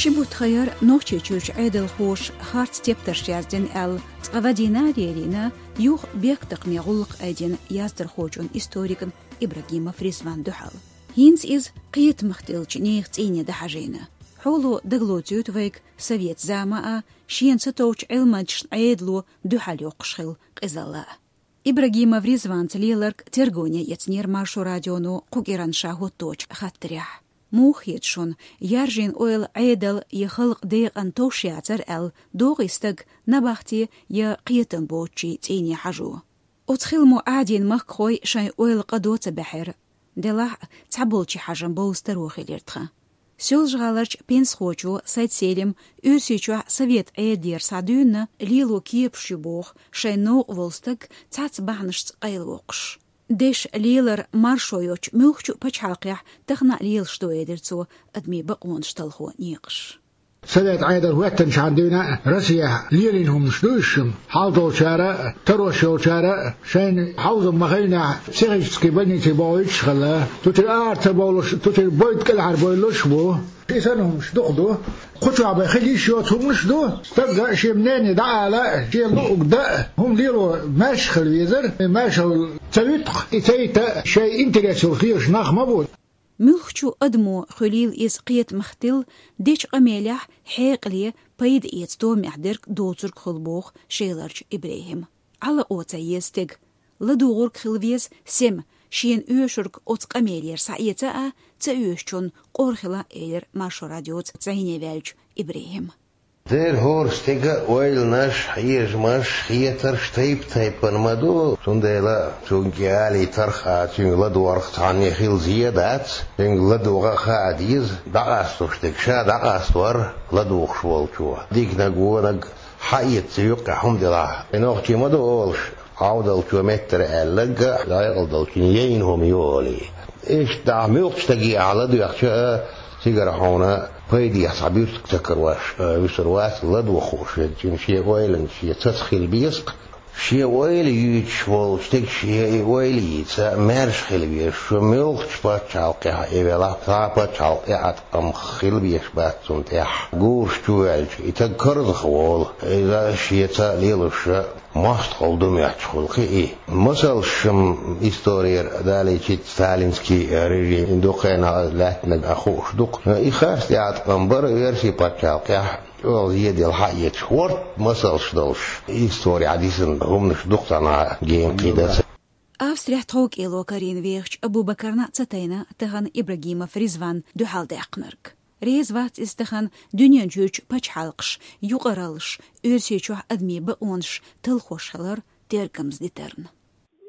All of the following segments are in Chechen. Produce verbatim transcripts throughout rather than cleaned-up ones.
Ши бутт ха яр Нохчийчуьрчу Ӏедалхоша харц тептарш яздина аьлла, цкъа вадийна а лелийна, юха бехктакхаме гӀуллакх айдина яздархочун, историкан Ибрагимов Ризван дуьхьал. ХӀинца иза кхетамах тиллачу нехан цӀийне дӀахьажийна. Хьоло дагалоцуьйту вайга совет зама а, шена сатовчу Ӏилманчашна Ӏедало дуьхьал йоккхуш хилла къизалла а. Ибрагимов Ризванца леларг тергоне эцнера Маршо радионо кху кӀиранан ша хӀотточу хаттарехь. Муха хета шуна, яржийна ойла Ӏедал я халкъ декъан товш яцара аьлла, догӀий стаг набахте я кхетам боцучийн цӀийне хьажо? Оцу хиламо Ӏадийна махкахой шайн ойла къа до ца баьхьира. Делахь а, цхьаболчийн хьажам бовза таро хилира тхан. Соьлжа-ГӀаларчу пенсахочо Сайд-Селим Оьрсийчохь совет Ӏедалера схьадуьйна лело кепаш ю боху шайн новкъа волу стаг цхьацца бахьанашца къайлавоккхуш. Дешан лелар маршо йоцчу муьлххачу а пачхьалкхехь тахана а лелаш ду, элира цо, адамийн бакъонаш талхо некъаш. Совет Ӏедал хӀоьттинчхьана дуьйна Россехь лелийна хӀуманаш ду уьш шуна. Хьал долчара а, тарош йолчара а шайна хьовзам ма-хиллинехь психический больнице бохуьйтуш хилла. Цу чуьра ара ца бовлуш, цу чуьра бойда кӀелхьара бойлуш а бу. И санна хӀуманаш дукха ду. Кху чохь бен хила йиш йоцу хӀуманаш а ду. Стага шен мнение дӀаала а, шен луъург дан а, хӀума лело маьрша хила везара. Маьршалла ца вуьту-кх, и ца йита а шайн интерес йолуш лелаш нах ма бу. Муьлххачу адамо, хуьлийла иза кхетамах тилла, дечу къамелехь хьекъале, пайда эца томехь дерг доцург хуьлу боху Шеларчу ИбрахӀима. Ӏалакъо ца еза стеган. ЛадугӀург хила веза сема, шена оьшург оцу къамелера схьаэца а, ца оьшучунна къора хила а, элира Маршо радиоца зӀене ваьллачу ИбрахӀима. Дера хӀора стеган ойланаш, хьежамаш, хетарш тайп-тайпана ма ду, цундела цуьнга и алийтарх а, цуьнга ладогӀарх цхьанне хила зен а дац, цуьнга ладогӀа а хаа деза, дӀакъасталуш дерг ша дӀакъастор ладугӀуш волчо. Диканиг, вониг хьаэца юккъехь хӀума делахь, и нохчий ма ду олуш, Ӏовдалчо меттара аьлларг а, декъала долчунна яйна хӀума ю олий. Иштта ахь муьлххачу стаге ахь ладоьгӀча а, цигара хьуна пайдехь цхьа буьрсиг ца карош, а, вуьсур вац ладогӀа хууш верг. Цуьнан шен ойланаш, шен цаца хила беза-кх. Шен ойла юьйцуш волчу стеган шен и ойла йийца маьрша хила веза. Шу муьлххачу пачхьалкхехь а велахь, цхьа а пачхьалкх тӀеӀаткъам хила безаш бац цунна тӀехь. Гураш чу ваьлча, и стаг карзах волу. Иза шеца лелош мостагӀалла ду моьттуш хуьлу-кх и. Масалш-м исторера далийча, сталинский режим дукха хенахь лаьттинарг а хууш ду-кх. И харц тӀеӀаткъам бара оьрсийн пачхьалкхехь, чӀогӀа зеделла хьаэцаш, хӀорд масалш долуш, исторехь дисина хӀуманаш ду-кх цхьанхьа генахь кхидӀа ца. Австрехь тховкӀело карийна вехачу Абу-Бакарна а ца тайна тахана Ибрагимов Ризван дуьхьалдаьккхинарг. Реза вац иза тахана дуьнен чуьрчу пачхьалкхаш, юкъараллаш, Оьрсийчохь адамийн бакъонаш талхош хилар тергамза дитарна.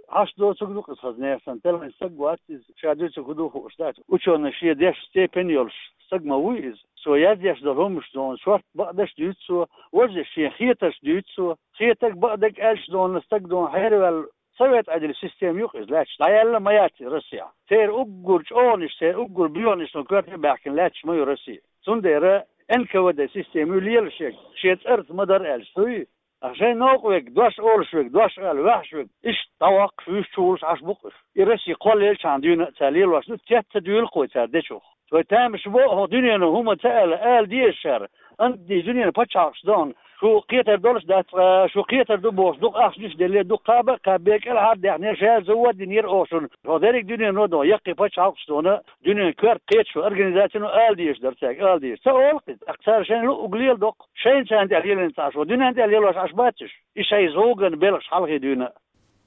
Ӏаш доцург ду-кх иза хаза нехан санна, тӀелхина стаг вац иза, ша дуьйцург хӀун ду хууш дац. Учёный, шен дешан степень йолуш стаг ма вуй иза. Цо яздеш долу хӀуманаш зона шорта бакъдерш дуьйцу цо, важа шен хетарш дуьйцу цо, хетарг, бакъдерг аьлча зона стаг зона хьераваьлла. Совет Ӏедалан система ю-кх иза лаьтташ, дӀаяьлла ма яц и Россехь. Церан уггар чӀогӀанаш, церан уггар боьханаш цунна коьрте баьхкина лаьтташ ма ю Россия. Цундела Н К В Д система ю лелаш ерг, шен цӀарца ма-дарра аьлча, дуй? Ткъа шайн новкъа верг, дош олуш верг, дош ала ваьхьаш верг, иштта дӀаваккхаш, вуьш чу вуллуш Ӏаш бу-кх уьш. И Россия кхоллаелчхьана дуьйна а цара лелош ду, цец ца дуьйлу-кх вай цара дечух. Вай тамаш бо хӀокху дуьнено хӀума ца аьлла, ала деза шара. Антий дуьненан пачхьалкхаш дохна, шу кхетар долуш дац ткъа, шу кхетар ду бохуш, дукха ахчанаш а деллера, дукха кхаба а кхаьбнера, кӀелхьара а даьхнера, шаьлта завод а йинера оха шуна. ХӀокху дерриг дуьнено дохна, яккхий пачхьалкхаш дохна, дуьненан коьрта кхеташо организацияно ала дезаш дара цаьрга, ала дезаш. Ца олу-кх иза, тӀаккха цара шайна луъург леладо-кх, шайна царна тӀехь лелийна ца Ӏаш, вай дуьненна тӀехь лелош Ӏаш бац уьш. И шайза гӀовгган белхаш хьалхе дуьйна а.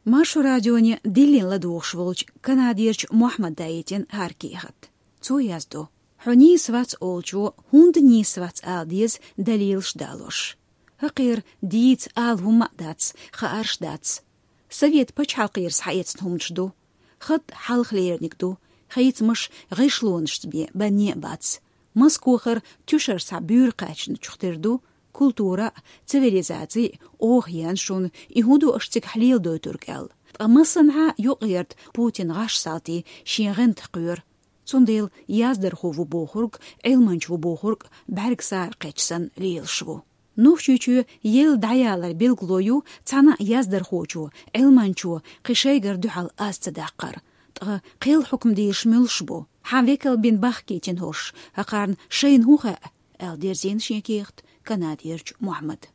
Маршо радионе диллина ладугӀуш волчу канадерчу Мохьмада яйтина хӀара кехат. Цо яздо: «Хьо нийса вац» олучо хӀунда нийса вац ала деза далилаш далош. ХӀокхера дийца ала хӀумма а дац, хаарш дац. Совет пачхьалкхера схьаэцна хӀуманаш ду. Хатта хьалхалерниг ду, хийцамаш гӀишлонашца бен банне а бац. Москохара туьшар схьа буьйра кхаьчначух тера ду, культура а, цивилизаци а оха еана шуна, и хӀун ду аша цигахь леладойтург аьлла. Ткъа массанхьа юкъаярда Путин гӀаш салтий шен гӀантах кхоьру. Цундела яздархо ву бохург, Ӏилманча ву бохург бӀаьрг сара кхечча санна лелаш ву. Нохчийчоь елла дӀаялар билгало ю цхьана а яздархочо, Ӏилманчо кхин шайгара дуьхьал аз ца даккхар. Ткъа кхел хьукмадерш муьлш бу? Хьан векал бина бахкийтина хӀорш, хӀокхарна шайна хӀун хаьа? аьлла дерзийна шен кехат Канадаерчу Мухьаммада.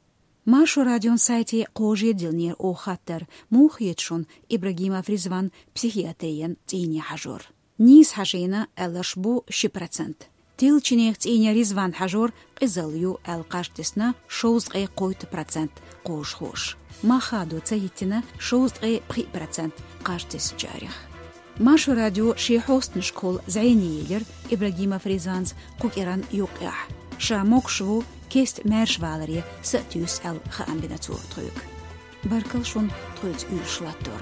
Маршо радион сайте кхожа диллинера оха хаттар, муха хета шуна Ибрагимов Ризван психиатрин цӀийне хьажор. Нийса хьажийна аьлларш бу ши процент. Тилла чинех цӀийне Ризван хьажор къизалла ю аьлла кхаж тесна шовзткъе кхойтта процент кхожахоша. Мах хадо ца хӀиттина шовзткъе пхиъ процент кхаж тессачарех. Маршо радио шен хьостанашкахула зӀене елира Ибрагимов Ризванца кху кӀиран юккъехь. Ша могуш ву кеста маьрша валаре са а туьйсу аьлла хаам бина цо тхоьга. Баркалла шуна тхоьца уьйраш латтор.